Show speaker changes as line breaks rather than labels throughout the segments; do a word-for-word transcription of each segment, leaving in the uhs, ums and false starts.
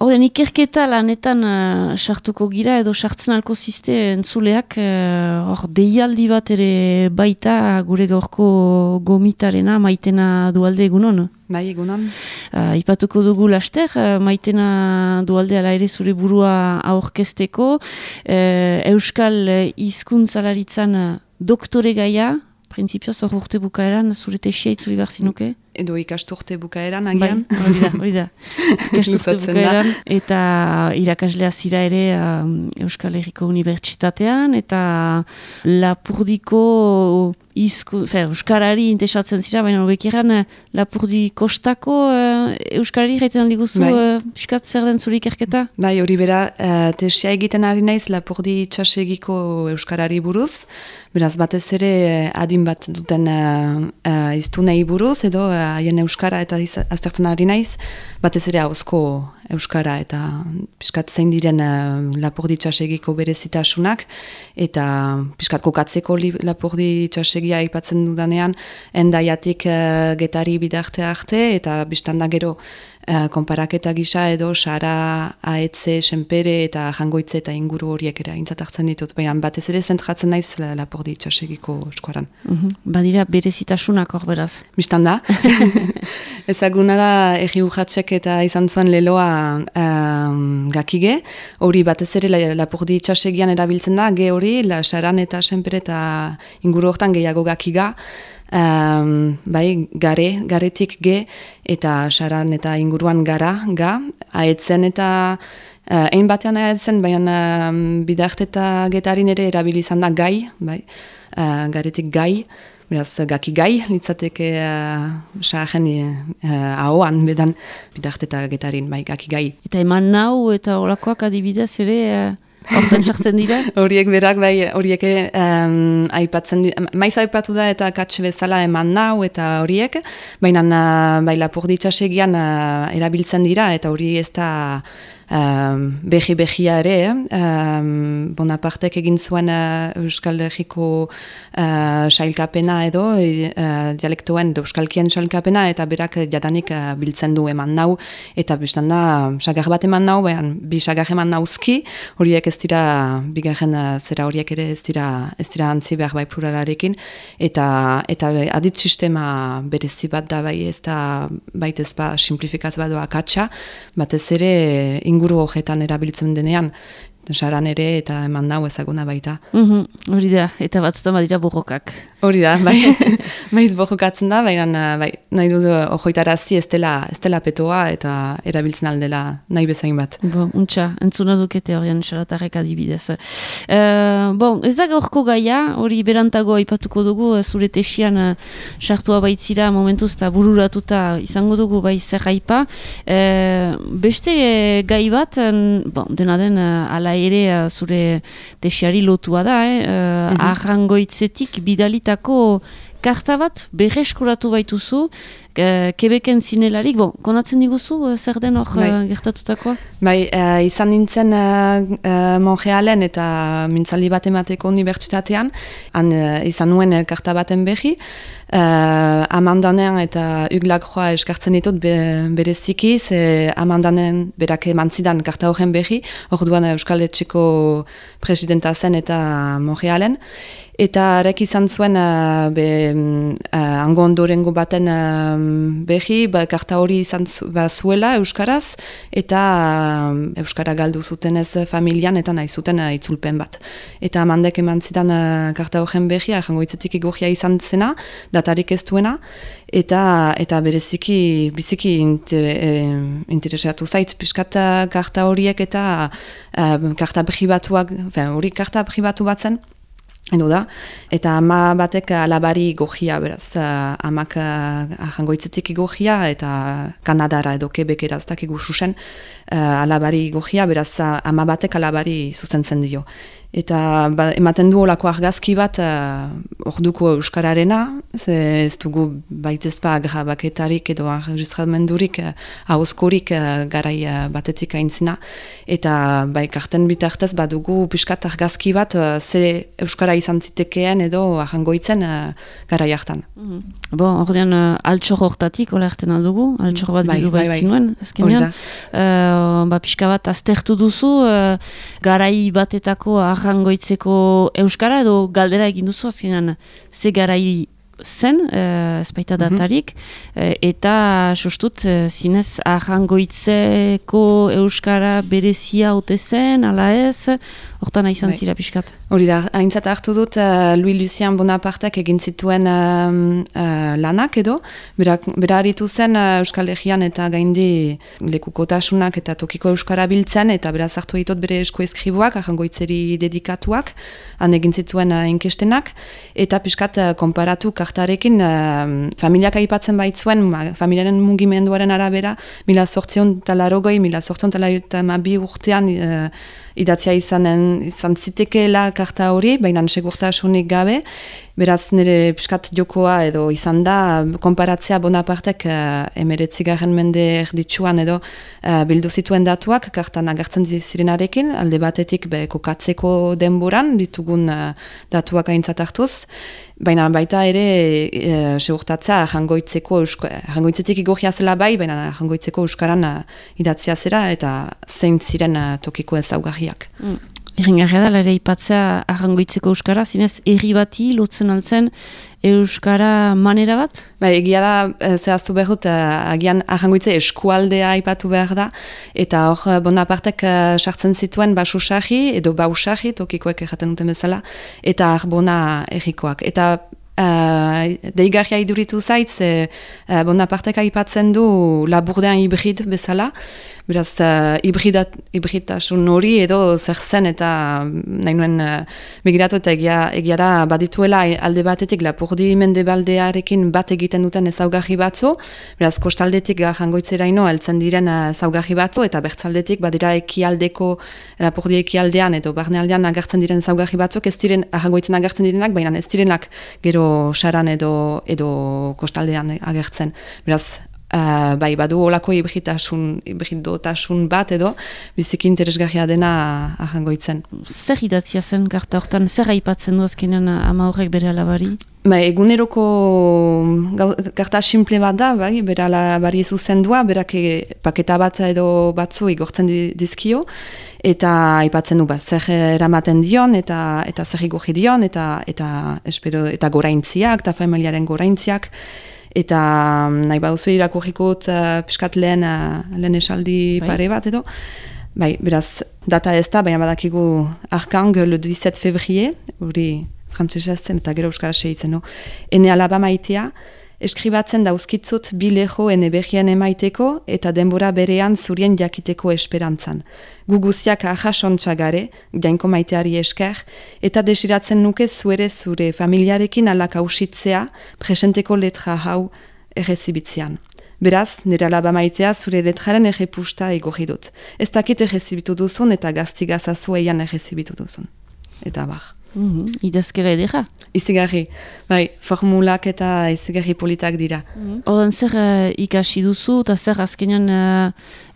Horren, ikerketa lanetan uh, sartuko gira edo sartzen alko ziste entzuleak hor uh, deialdi bat ere baita gure gaurko gomitarena Maitena Dualde egunon?
Bai, egunon.
Uh, ipatuko dugu laster, uh, Maitena Dualde ala ere zure burua aurkezteko, uh, Euskal hizkuntzalaritzan uh, doktore gaia, printzipioz hor urte bukaeran, zure tesia itzuli behar zinuke?
Edo ikasturte bukaeran, agian.
Bai, hori da, hori da. Ikasturte bukaeran, eta irakaslea zira ere um, Euskal Herriko Unibertsitatean, eta Lapurdiko izku, fe, Euskarari intesatzen zira, baina hobekiran Lapurdi kostako uh, Euskarari jaiten diguzu, bai. uh, piskat zer den zure ikerketa?
Bai, hori bera, uh, tesia egiten ari naiz Lapurdi itxasegiko Euskarari buruz, beraz batez ere adin bat duten uh, uh, iztunei buruz, edo uh, haien euskara eta aztertzen ari naiz, batez ere hauzko euskara eta piskat zein diren uh, Lapurdi itxasegiko berezitasunak, eta piskat kokatzeko Lapurdi itxasegia aipatzen dudanean, endaiatik uh, getari bidarte arte, eta biztanda gero uh, konparaketa gisa edo Sara, Aetze, Senpere eta Jangoitze eta inguru horiek ere aintzat hartzen ditut, baina batez ere zentratzen naiz Lapurdi itxasegiko eskoaran.
Uh-huh. Badira berezitasunak hor beraz?
Biztanda. Ezaguna da egi urratsek eta izan zuen leloa um, gakige, hori batez ere Lapurdi itxasegian erabiltzen da, ge hori, la Saran eta Senpere eta inguru hortan gehiago gakiga, um, bai, gare, garetik ge, eta Saran eta inguruan gara, ga, Aetzen eta uh, ein batean aetzen, baina um, bidarte eta getarin ere erabili izan da gai, bai, uh, garetik gai, beraz, gaki gai, litzateke saaren uh, uh, ahoan, bedan, bidarte eta getarin, bai, gaki gai.
Eta eman nau eta olakoak adibidez ere uh, hortan sartzen dira?
Horiek berak, bai, horiek um, aipatzen dira, maiz aipatu da eta katx bezala eman nau eta horiek, baina uh, bai, Lapurdi itxasegian uh, erabiltzen dira, eta hori ez da Um, behi-behia ere, um, Bonapartek egin zuen uh, Euskal Herriko uh, sailkapena edo, uh, dialektoen euskalkien sailkapena, eta berak jadanik uh, biltzen du eman nau, eta biztan da, sagar bat eman nau, baina bi sagar eman nauzki, horiek ez dira, bigarren uh, zera horiek ere ez dira, ez dira antzi behar bai pluralarekin, eta, eta adit sistema berezi bat da, bai ez da, baitez ba, simplifikaz bat doa katxa, batez ere inguru horretan erabiltzen denean, Saran ere eta eman nau ezaguna baita.
Mm-hmm, hori da, eta batzutan badira borrokak.
Hori da, bai, maiz borrokatzen da, baina bai, nahi dut ojoitarazi ez dela, ez dela petoa eta erabiltzen aldela nahi bezain bat.
Bon, untxa, entzuna dukete horien Saratarrek adibidez. Uh, bon, ez da gaurko gaia, hori berantago aipatuko dugu, zure tesian uh, sartua baitzira momentuz eta bururatuta izango dugu bai zer aipa. Uh, beste gai bat, uh, bon, dena den uh, ala ere uh, zure tesiari lotua da, eh? uh, mm-hmm. Arrangoitzetik bidalitako karta bat berreskuratu baituzu, uh, Quebecen zinelarik, bon, konatzen diguzu uh, zer den hor uh, gertatutakoa?
Bai, uh, izan nintzen uh, uh, Montrealen eta mintzaldi bat emateko unibertsitatean, han uh, izan nuen uh, karta baten behi, Uh, Amandanen eta Uglagroa eskartzen ditut be, bereziki, ze Amandanen berak emantzidan karta horren behi, orduan Euskal Etxeko presidenta zen eta Montrealen, eta arek izan zuen uh, be, uh, ango ondorengo baten uh, behi, ba, karta hori izan zu, ba, zuela Euskaraz, eta uh, Euskara galdu zuten ez familian, eta nahi zuten uh, itzulpen bat. Eta Amandek emantzidan uh, karta horren behi, Arrangoitzetik igorria izan zena, datarik ez duena, eta, eta bereziki biziki inter, eh, interesatu zaitz piskat karta horiek eta uh, karta pribatuak, hori karta pribatu bat zen, edo da, eta ama batek alabari gojia, beraz, uh, amak uh, Arrangoitzetik igorria eta Kanadara edo Quebecera ez dakigu susen, uh, alabari gojia, beraz, uh, ama batek alabari zuzentzen dio. Eta ba, ematen du olako argazki bat uh, orduko Euskararena, ze ez dugu baitez ba grabaketarik edo enregistramendurik uh, ahozkorik uh, garai uh, batetik aintzina. Eta bai karten bitartez badugu piskat argazki bat uh, ze Euskara nola izan zitekeen edo ahangoitzen uh, gara jartan.
Mm. Bo, ordean uh, altxor hortatik, hola erten aldugu, altxor bat
bai,
bildu
bai,
bai zinuen, ezkenean. Uh, ba, pixka bat aztertu duzu, uh, garai batetako ahangoitzeko euskara edo galdera egin duzu, azkenean, ze garai zen, uh, ez baita datarik, mm-hmm. uh, eta sustut, uh, zinez, ahangoitzeko euskara berezia ote zen, ala ez, hortan izan bai. Zira pixkat.
Hori da, haintzat hartu dut, uh, Louis Lucien Bonapartek egin zituen uh, uh, lanak edo, bera, bera haritu zen uh, Euskal Herrian eta gaindi lekukotasunak eta tokiko euskara biltzen, eta beraz hartu ditut bere esku eskribuak, ahangoitzeri dedikatuak, han egin zituen uh, inkestenak, eta pixkat uh, konparatu kartarekin uh, familiak aipatzen baitzuen, ma, familiaren mugimenduaren arabera, mila sortzion talarogoi, mila sortzion talarogoi urtean uh, idatzia izanen, izan zitekeela karta hori, baina segurtasunik gabe, beraz nire piskat jokoa edo izan da, konparatzea Bonapartek uh, emeretzigarren mende erditsuan edo uh, bildu zituen datuak, kartan agertzen zirenarekin, alde batetik be, kokatzeko denboran ditugun uh, datuak aintzat hartuz, baina baita ere e, segurtatzea jangoitzeko jangoitzetik igorria zela bai, baina jangoitzeko euskaran uh, idatzia zera eta zein ziren uh, tokiko ezaugarriak.
Mm. Erringarria da, ere ipatzea ahangoitzeko euskara, zinez erri bati lotzen altzen euskara manera bat?
Ba, egia da, zehaztu behar dut, agian ahangoitze eskualdea aipatu behar da, eta hor Bonapartek sartzen zituen basusarri edo bausarri, tokikoek erraten duten bezala, eta arbona errikoak. Eta Uh, deigarria iduritu zaitz, uh, Bonapartek aipatzen du laburdean hibrid bezala, beraz uh, hibridtasun hori edo zer zen eta nahi nuen uh, begiratu eta egia, egia da badituela alde batetik lapurdi mendebaldearekin bat egiten duten ezaugarri batzu, beraz kostaldetik jangoitzeraino heltzen diren ezaugarri batzu eta bertzaldetik badira ekialdeko lapurdi ekialdean edo barnealdean agertzen diren ezaugarri batzuk ez diren jangoitzen agertzen direnak, baina ez direnak gero saran edo edo kostaldean agertzen. Beraz, uh, bai, badu olako hibridasun, hibridotasun bat edo biziki interesgarria dena ahangoitzen.
Zer idatzia zen karta hortan, zer aipatzen du azkenean ama horrek bere alabari?
Ba, eguneroko karta simple bat da, bai, bere alabari zuzendua, berak paketa bat edo batzu igortzen dizkio, eta aipatzen du bat, zer eramaten dion, eta eta zer igorri dion, eta eta espero eta goraintziak, eta familiaren goraintziak, eta nahi baduzu irakurrikot uh, piskat lehen, uh, lehen esaldi bai. Pare bat edo. Bai, beraz, data ez da, baina badakigu Arkang le dix-sept février, hori frantzesez zen eta gero euskara segitzen, no? Ene alaba maitea, eskribatzen dauzkitzut bi leho ene berrien emaiteko eta denbora berean zurien jakiteko esperantzan. Guguziak ahasontxagare, jainko maiteari esker, eta desiratzen nuke zuere zure familiarekin alak hausitzea presenteko letra hau errezibitzean. Beraz, nire alaba maitea zure letraren errepusta egorri dut. Ez dakit errezibitu duzun eta gaztigazazu eian errezibitu duzun. Eta bar.
Mm-hmm. Idazkera edera?
Izigarri, bai, formulak eta izigarri politak dira.
Mm-hmm. Odan zer uh, ikasi duzu eta zer azkenean uh,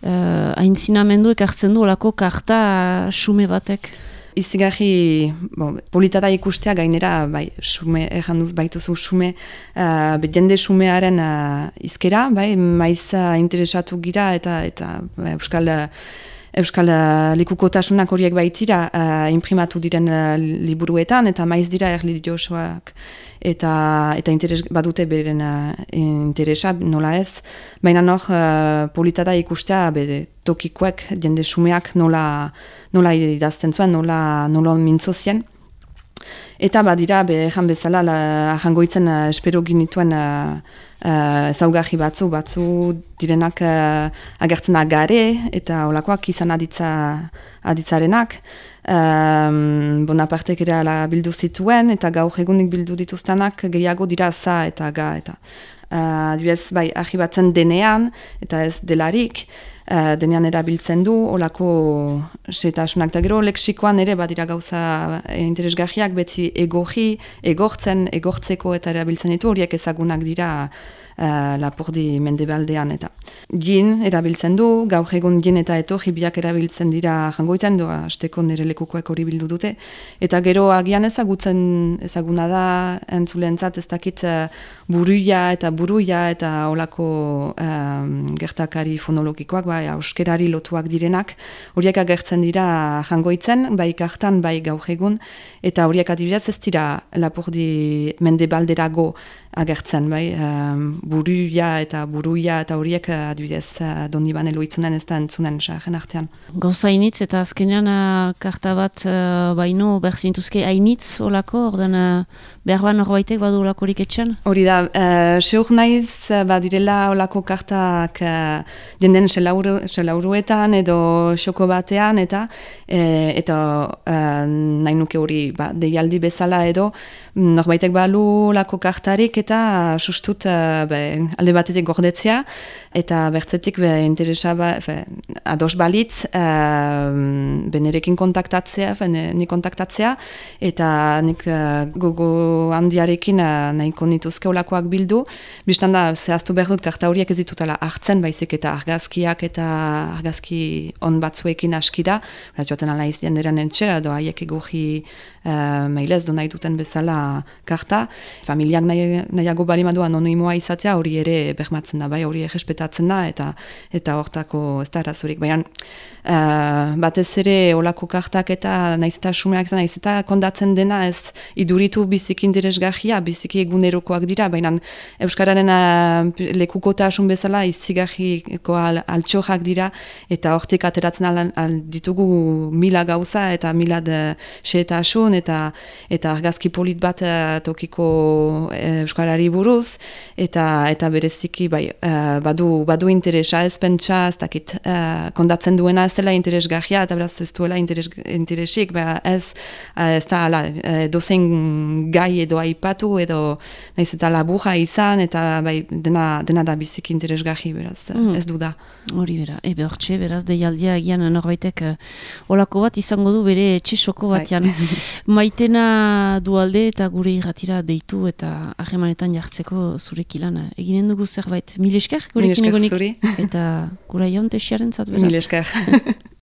uh, aintzinamendu ekartzen du olako karta uh, xume batek?
Izigarri, bon, politata ikustea gainera, bai, xume, erran duz baituzu xume, uh, jende xumearen uh, izkera, bai, maiz uh, interesatu gira eta, eta uh, euskal... Uh, Euskal uh, likukotasunak horiek baitira uh, imprimatu diren uh, liburuetan eta maiz dira erlijiosoak eta eta interes, badute beren uh, interesa nola ez, baina nor uh, politada ikustea bere tokikoek jende xumeak nola, nola idazten zuen, nola, nola mintzozien. Eta badira, behan bezala, ahangoitzen uh, espero ginituen uh, uh, ezaugarri batzu, batzu direnak uh, agertzen agare, eta olakoak izan aditza, aditzarenak. Um, Bonapartek ere ala bildu zituen, eta gaur egunik bildu dituztenak gehiago dira za eta ga. Eta, uh, dibez, bai, argibatzen denean, eta ez delarik, uh, denean erabiltzen du, olako setasunak, eta gero leksikoan ere badira gauza interesgarriak, beti egoji, egortzen, egortzeko eta erabiltzen ditu, horiek ezagunak dira uh, Lapurdi mendebaldean eta. Gin erabiltzen du, gaur egun gin eta etorri biak erabiltzen dira jangoitzen, doa asteko nire lekukoak hori bildu dute, eta gero agian ezagutzen ezaguna da entzulentzat ez dakit uh, buruia eta buruia eta olako um, gertakari fonologikoak, bai, euskerari lotuak direnak, horiek agertzen dira jangoitzen, bai kartan, bai gaur egun, eta horiek adibidez ez dira Lapurdi mendebalderago agertzen, bai, um, buruia eta buruia eta horiek adibidez uh, Donibane Loitzunen ez da entzunen sarren artean.
Gauza hainitz eta azkenean uh, karta bat uh, baino berzintuzke hainitz olako, ordan uh, behar ban horbaitek badu olakorik etxan?
Hori da, uh, seur naiz badirela olako kartak uh, jenden selauru, selauruetan edo xoko batean eta e, eta uh, nahi nuke hori ba, deialdi bezala edo norbaitek balu olako kartarik eta sustut uh, be, alde batetik gordetzea eta bertzetik be, interesa ba, be, ados balitz uh, benerekin kontaktatzea, be, ni kontaktatzea eta nik uh, gogo handiarekin uh, nahiko nituzke olakoak bildu. Bistan da, zehaztu behar dut karta horiek ez ditutela hartzen, baizik eta argazkiak eta argazki on batzuekin askida, beraz joaten ala izien deran entxera, doa haiek egurri uh, mailez do nahi duten bezala karta. Familiak nahi, nahiago balimadu anonimoa izatea hori ere bermatzen da, bai hori errespetatzen da eta eta hortako ez da arazorik. Baina uh, batez ere olako kartak eta naiz eta sumeak naiz eta kondatzen dena ez iduritu biziki interesgarria, biziki egunerokoak dira, baina Euskararen uh, lekukotasun bezala izigarriko al, altxorrak dira eta hortik ateratzen al, al ditugu mila gauza eta mila xehetasun eta eta argazki polit bat uh, tokiko uh, Euskarari buruz eta eta bereziki bai, uh, badu, badu interesa ez pentsa, ez dakit uh, kondatzen duena ez dela interesgarria eta beraz ez duela interes, interesik, ba, ez, uh, ez da ala, uh, dozen gai edo aipatu edo naiz eta laburra izan eta bai, dena, dena da biziki interesgarri beraz, mm. ez du da.
Hori bera, ebe hortxe, beraz, deialdia egian norbaitek uh, olako bat izango du bere etxesoko batean. Maitena dualde eta gure irratira deitu eta harremanetan jartzeko zurekin lan. Eginen dugu zerbait, mil esker gurekin egonik.
Mil esker zuri.
Eta gura jaun tesiaren zat beraz.
Mil esker.